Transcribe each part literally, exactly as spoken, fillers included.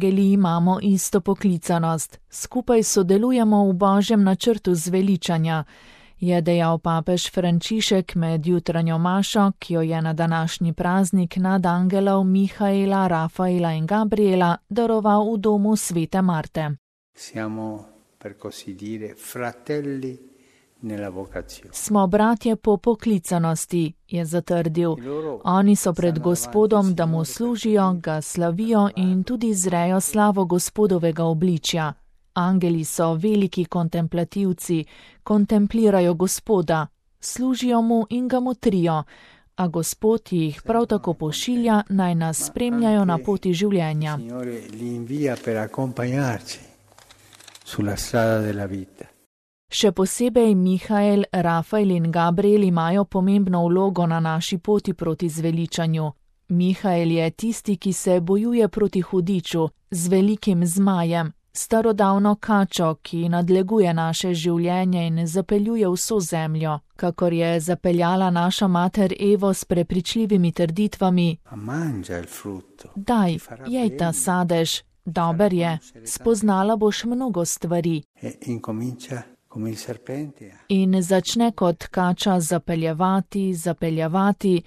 angeli imamo isto poklicanost, skupaj sodelujemo v Božjem načrtu zveličanja, je dejal papež Frančišek med jutranjo mašo, ki jo je na današnji praznik nadangelov Mihaela, Rafaela in Gabriela daroval v domu svete Marte. Siamo, per così dire, fratelli nella vocazione. Smo bratje po poklicanosti, je zatrdil. Oni so pred Gospodom, da mu služijo, ga slavijo in tudi zrejo slavo Gospodovega obličja. Angeli so veliki kontemplativci, kontemplirajo Gospoda, služijo mu in ga motrijo, a Gospod jih prav tako pošilja, naj nas spremljajo na poti življenja. Še posebej Mihael, Rafael in Gabriel imajo pomembno vlogo na naši poti proti zveličanju. Mihael je tisti, ki se bojuje proti hudiču, z velikim zmajem, starodavno kačo, ki nadleguje naše življenje in zapeljuje vso zemljo, kakor je zapeljala naša mater Evo s prepričljivimi trditvami: Daj, jej ta sadež, dober je, spoznala boš mnogo stvari. In začne kot kača zapeljevati, zapeljevati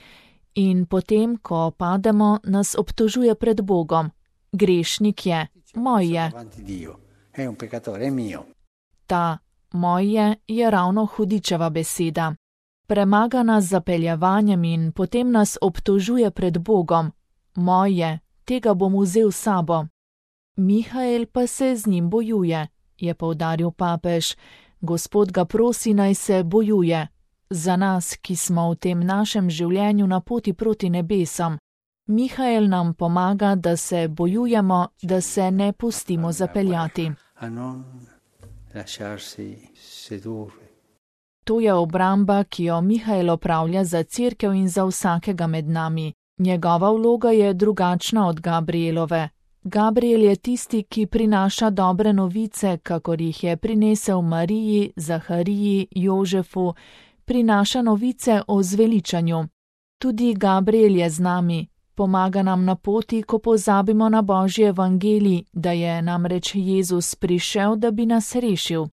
in potem, ko pademo, nas obtožuje pred Bogom. Grešnik je, moj je. Ta moj je je ravno hudičeva beseda. Premaga nas z zapeljevanjem in potem nas obtožuje pred Bogom. Moj je, tega bom vzel s sabo. Mihael pa se z njim bojuje, je poudaril papež. Gospod ga prosi, naj se bojuje. Za nas, ki smo v tem našem življenju na poti proti nebesom. Mihael nam pomaga, da se bojujemo, da se ne pustimo zapeljati. To je obramba, ki jo Mihael opravlja za cerkev in za vsakega med nami. Njegova vloga je drugačna od Gabrielove. Gabriel je tisti, ki prinaša dobre novice, kakor jih je prinesel Mariji, Zahariji, Jožefu, prinaša novice o zveličanju. Tudi Gabriel je z nami. Pomaga nam na poti, ko pozabimo na Božji evangelij, da je namreč Jezus prišel, da bi nas rešil.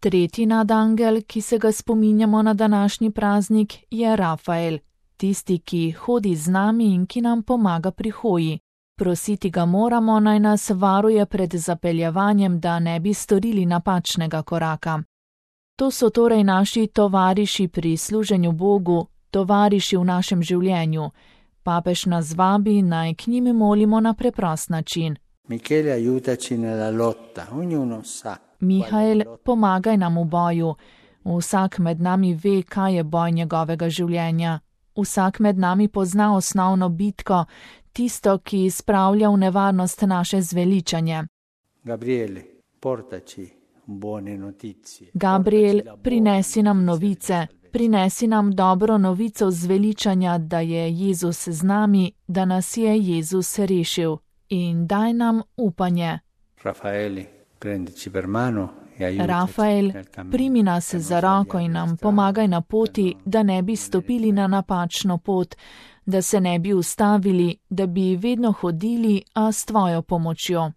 Tretji nadangel, ki se ga spominjamo na današnji praznik, je Rafael, tisti, ki hodi z nami in ki nam pomaga pri hoji. Prositi ga moramo, naj nas varuje pred zapeljevanjem, da ne bi storili napačnega koraka. To so torej naši tovariši pri služenju Bogu, tovariši v našem življenju. Papež nas vabi, naj k njim molimo na preprost način. Mihael, pomagaj nam v boju. Vsak med nami ve, kaj je boj njegovega življenja. Vsak med nami pozna osnovno bitko, tisto, ki spravlja v nevarnost naše zveličanje. Gabriel, prinesi nam novice. Prinesi nam dobro novico zveličanja, da je Jezus z nami, da nas je Jezus rešil. In daj nam upanje. Rafael, primi nas za roko in nam pomagaj na poti, da ne bi stopili na napačno pot, da se ne bi ustavili, da bi vedno hodili, a s tvojo pomočjo.